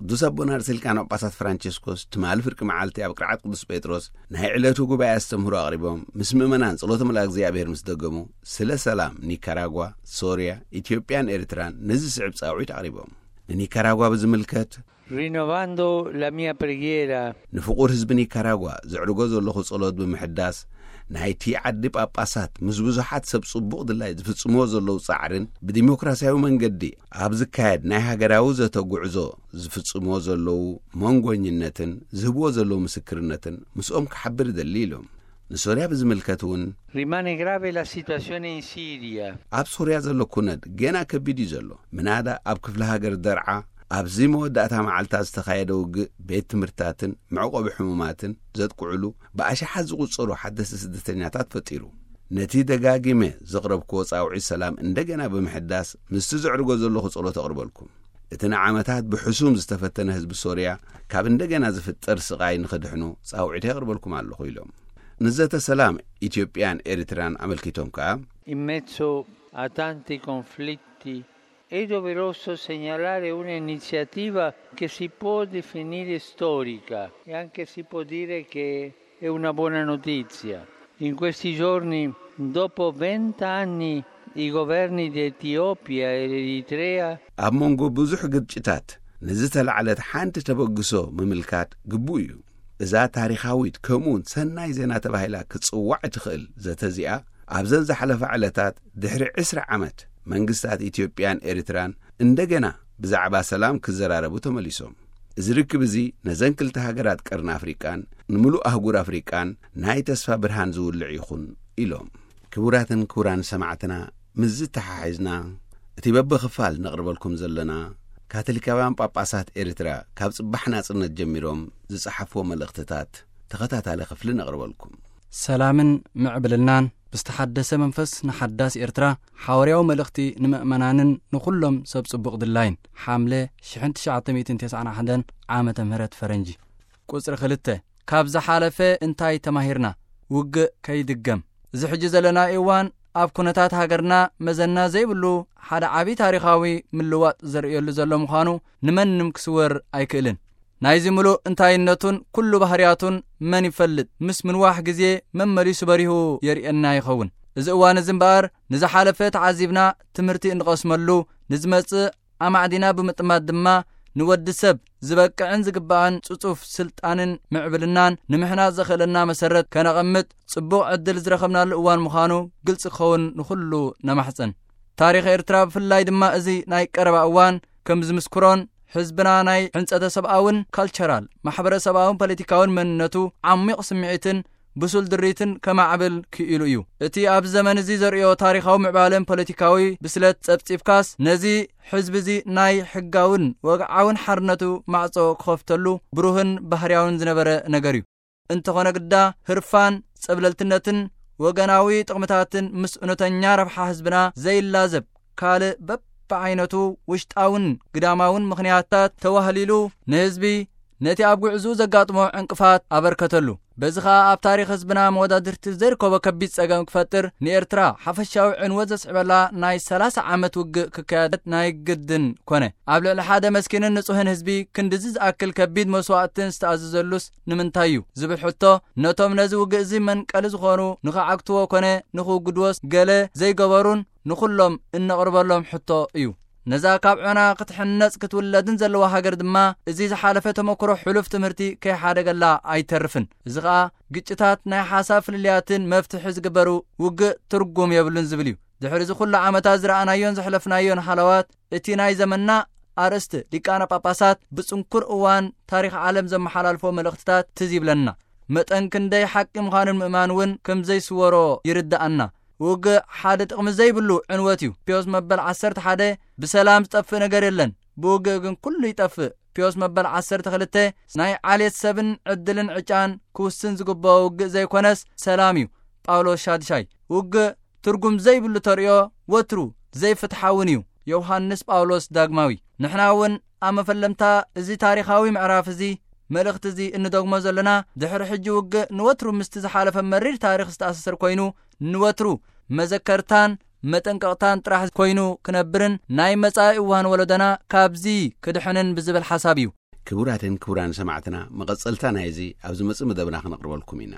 ቅዱስ ኣቦና ርእሰ ሊቃነ ጳጳሳት ፍራንቸስኮስ ትማሊ ፍርቂ መዓልቲ ኣብ ቅርዓት ቅዱስ ጴጥሮስ ናይ ዕለቱ ጉባኤ ኣስተምህሮ ኣቕሪቦም፣ ምስ ምእመናን ጸሎተ መልኣክ እግዚኣብሔር ምስ ደገሙ፣ ስለ ሰላም ኒካራጓ፣ ሶርያ፣ ኢትዮጵያን ኤርትራን ንዝስዕብ ጻውዒት ኣቕሪቦም። ንኒካራጓ ብዝምልከት፣ Rinnovando la mia preghiera ንፍቑር ህዝቢ ኒካራጓ ዘዕርጎ ዘለኹ ጸሎት ብምሕዳስ፣ ናይቲ ዓዲ ጳጳሳት ምስ ብዙሓት ሰብ ጽቡቕ ድላይ ዝፍጽምዎ ዘለዉ ጻዕርን ብዲሞክራሲያዊ መንገዲ ኣብ ዝካየድ ናይ ሃገራዊ ዘተ ጉዕዞ ዝፍጽምዎ ዘለዉ መንጎኝነትን ዝህብዎ ዘለዉ ምስክርነትን ምስኦም ክሓብር እደሊ ኢሎም። ንሶርያ ብዝምልከት እውን፣ Rimane grave la situazione in Siria. ኣብ ሶርያ ዘሎ ኩነት ገና ከቢድ እዩ ዘሎ። ምናዳ ኣብ ክፍለ ሃገር ደርዓ ኣብዚ መወዳእታ መዓልታት ዝተኻየደ ውግእ ቤት ትምህርትታትን መዕቆቢ ሕሙማትን ዘጥቅዕሉ ብኣሽሓት ዝቑጸሩ ሓደስቲ ስደተኛታት ፈጢሩ። ነቲ ደጋጊመ ዘቕረብክዎ ጻውዒት ሰላም እንደገና ብምሕዳስ ምስቲ ዘዕርጎ ዘለኹ ጸሎት ኣቕርበልኩም። እቲ ንዓመታት ብሕሱም ዝተፈተነ ህዝቢ ሶርያ ካብ እንደገና ዝፍጠር ስቓይ ንኽድሕኑ ጻውዒት የቕርበልኩም ኣለኹ ኢሎም። ንዘተ ሰላም ኢትዮጵያን ኤርትራን ኣመልኪቶም ከኣ፣ In mezzo a tanti conflitti è doveroso segnalare un'iniziativa che si può definire storica e anche si può dire che è una buona notizia. In questi giorni, dopo vent'anni, i governi di Etiopia e Eritrea ኣብ መንጎ ብዙሕ ግጭታት ንዝተላዕለት ሓንቲ ተበግሶ ምምልካት ግቡእ እዩ። እዛ ታሪኻዊት ከምኡውን ሰናይ ዜና ተባሂላ ክትጽዋዕ እትኽእል ዘተ እዚኣ ኣብዘን ዝሓለፋ ዕለታት ድሕሪ ዕስራ ዓመት መንግስታት ኢትዮጵያን ኤርትራን እንደገና ብዛዕባ ሰላም ክዘራረቡ ተመሊሶም። እዚ ርክብ እዚ ነዘን ክልተ ሃገራት ቀርኒ ኣፍሪቃን ንምሉእ ኣህጉር ኣፍሪቃን ናይ ተስፋ ብርሃን ዝውልዕ ይኹን ኢሎም። ክቡራትን ክቡራን ሰማዕትና፣ ምስ ዝተሓሒዝና እቲ በብኽፋል ነቕርበልኩም ዘለና ካቶሊካውያን ጳጳሳት ኤርትራ ካብ ጽባሕ ናጽነት ጀሚሮም ዝጸሓፍዎ መልእኽትታት ተኸታታሊ ክፍሊ ነቕርበልኩም። ሰላምን ምዕብልናን ብዝተሓደሰ መንፈስ ንሓዳስ ኤርትራ ሓዋርያዊ መልእኽቲ ንምእመናንን ንኹሎም ሰብ ጽቡቕ ድላይን። ሓምለ ሽሕን ትሽዓተ ሚእትን ተስዓን ሓደን ዓመተ ምህረት ፈረንጂ። ቁጽሪ ክልተ፣ ካብ ዝሓለፈ እንታይ ተማሂርና? ውግእ ከይድገም። እዚ ሕጂ ዘለናዮ እዋን ኣብ ኩነታት ሃገርና መዘና ዘይብሉ ሓደ ዓቢ ታሪኻዊ ምልዋጥ ዘርእየሉ ዘሎ ምዃኑ ንመንም ክስወር ኣይክእልን። ናይዚ ምሉእ እንታይነቱን ኩሉ ባህርያቱን መን ይፈልጥ? ምስ ምንዋሕ ግዜ መመሊሱ በሪሁ የርእየና ይኸውን። እዚ እዋን እዚ እምበኣር ንዝሓለፈ ተዓዚብና ትምህርቲ እንቐስመሉ፣ ንዝመጽእ ኣማዕዲና ብምጥማት ድማ ንወዲ ሰብ ዝበቅዕን ዝግባእን ጽጹፍ ስልጣንን ምዕብልናን ንምሕናጽ ዘኽእለና መሰረት ከነቐምጥ ጽቡቕ ዕድል ዝረኸብናሉ እዋን ምዃኑ ግልጺ ክኸውን ንኹሉ ነማሕጽን። ታሪኽ ኤርትራ ብፍላይ ድማ እዚ ናይ ቀረባ እዋን ከም ዝምስክሮን ህዝብና ናይ ሕንጸተ ሰብኣውን ካልቸራል፣ ማሕበረሰባውን ፖለቲካውን መንነቱ ዓሚቕ ስምዒትን ብሱል ድሪትን ከማዕብል ክኢሉ እዩ። እቲ ኣብዚ ዘመን እዚ ዘርእዮ ታሪኻዊ ምዕባለን ፖለቲካዊ ብስለት ጸብጺብካስ ነዚ ህዝቢ እዚ ናይ ሕጋውን ወግዓውን ሓርነቱ ማዕጾ ክኸፍተሉ ብሩህን ባህርያውን ዝነበረ ነገር እዩ። እንተኾነ ግዳ ህርፋን ጸብለልትነትን ወገናዊ ጥቕምታትን ምስ እውነተኛ ረብሓ ህዝብና ዘይላዘብ ካልእ በብዓይነቱ ውሽጣውን ግዳማውን ምኽንያታት ተዋህሊሉ ንህዝቢ ነቲ ኣብ ጉዕዝኡ ዘጋጥሞ ዕንቅፋት ኣበርከተሉ። በዚ ኸኣ ኣብ ታሪኽ ህዝብና መወዳድርቲ ዘይርከቦ ከቢድ ጸገም ክፈጥር፣ ንኤርትራ ሓፈሻዊ ዕንወት ዘስዕበላ ናይ ሰላሳ ዓመት ውግእ ክካየድ ናይ ግድን ኮነ። ኣብ ልዕሊ ሓደ መስኪንን ንጹህን ህዝቢ ክንድዚ ዝኣክል ከቢድ መስዋእትን ዝተኣዘዘሉስ ንምንታይ እዩ ዝብል ሕቶ፣ ነቶም ነዚ ውግእ እዚ መንቀሊ ዝኾኑ ንኽዓግትዎ ኮነ ንኽውግድዎስ ገለ ዘይገበሩን ንኹሎም እነቕርበሎም ሕቶ እዩ። ነዛ ካብ ዖና ክትሕነጽ ክትውለድን ዘለዋ ሃገር ድማ፣ እዚ ዝሓለፈ ተመክሮ ሕሉፍ ትምህርቲ ከይሓደገላ ኣይተርፍን። እዚ ኸኣ ግጭታት ናይ ሓሳብ ፍልልያትን መፍትሒ ዝግበሩ ውግእ ትርጉም የብሉን ዝብል እዩ። ድሕሪ እዚ ኩሉ ዓመታት ዝረኣናዮን ዘሕለፍናዮን ሃለዋት፣ እቲ ናይ ዘመንና ኣርእስቲ ሊቃነ ጳጳሳት ብጽንኩር እዋን ታሪኽ ዓለም ዘመሓላልፎ መልእኽትታት ትዝ ይብለና። መጠን ክንደይ ሓቂ ምዃኑን ምእማን እውን ከም ዘይስወሮ ይርድኣና። ውግእ ሓደ ጥቕሚ ዘይብሉ ዕንወት እዩ። ፒዮስ መበል ዓሰርተ ሓደ፣ ብሰላም ዝጠፍእ ነገር የለን፣ ብውግእ ግን ኩሉ ይጠፍእ። ፒዮስ መበል ዓሰርተ ክልተ፣ ናይ ዓሌት ሰብን ዕድልን ዕጫን ክውስን ዝግብኦ ውግእ ዘይኮነስ ሰላም እዩ። ጳውሎስ ሻድሻይ። ውግእ ትርጉም ዘይብሉ ተርእዮ፣ ወትሩ ዘይፍትሓውን እዩ። ዮሃንስ ጳውሎስ ዳግማዊ። ንሕና እውን ኣብ መፈለምታ እዚ ታሪኻዊ ምዕራፍ እዚ፣ መልእኽቲ እዚ እንደግሞ ዘለና፣ ድሕሪ ሕጂ ውግእ ንወትሩ ምስቲ ዝሓለፈ መሪር ታሪኽ ዝተኣሳሰር ኮይኑ፣ ንወትሩ መዘከርታን መጠንቀቕታን ጥራሕ ኮይኑ ክነብርን ናይ መጻኢ እዋን ወለዶና ካብዚ ክድሕንን ብዝብል ሓሳብ እዩ። ክቡራትን ክቡራን ሰማዕትና፣ መቐጸልታ ናይዚ ኣብ ዝመጽእ መደብና ክነቕርበልኩም ኢና።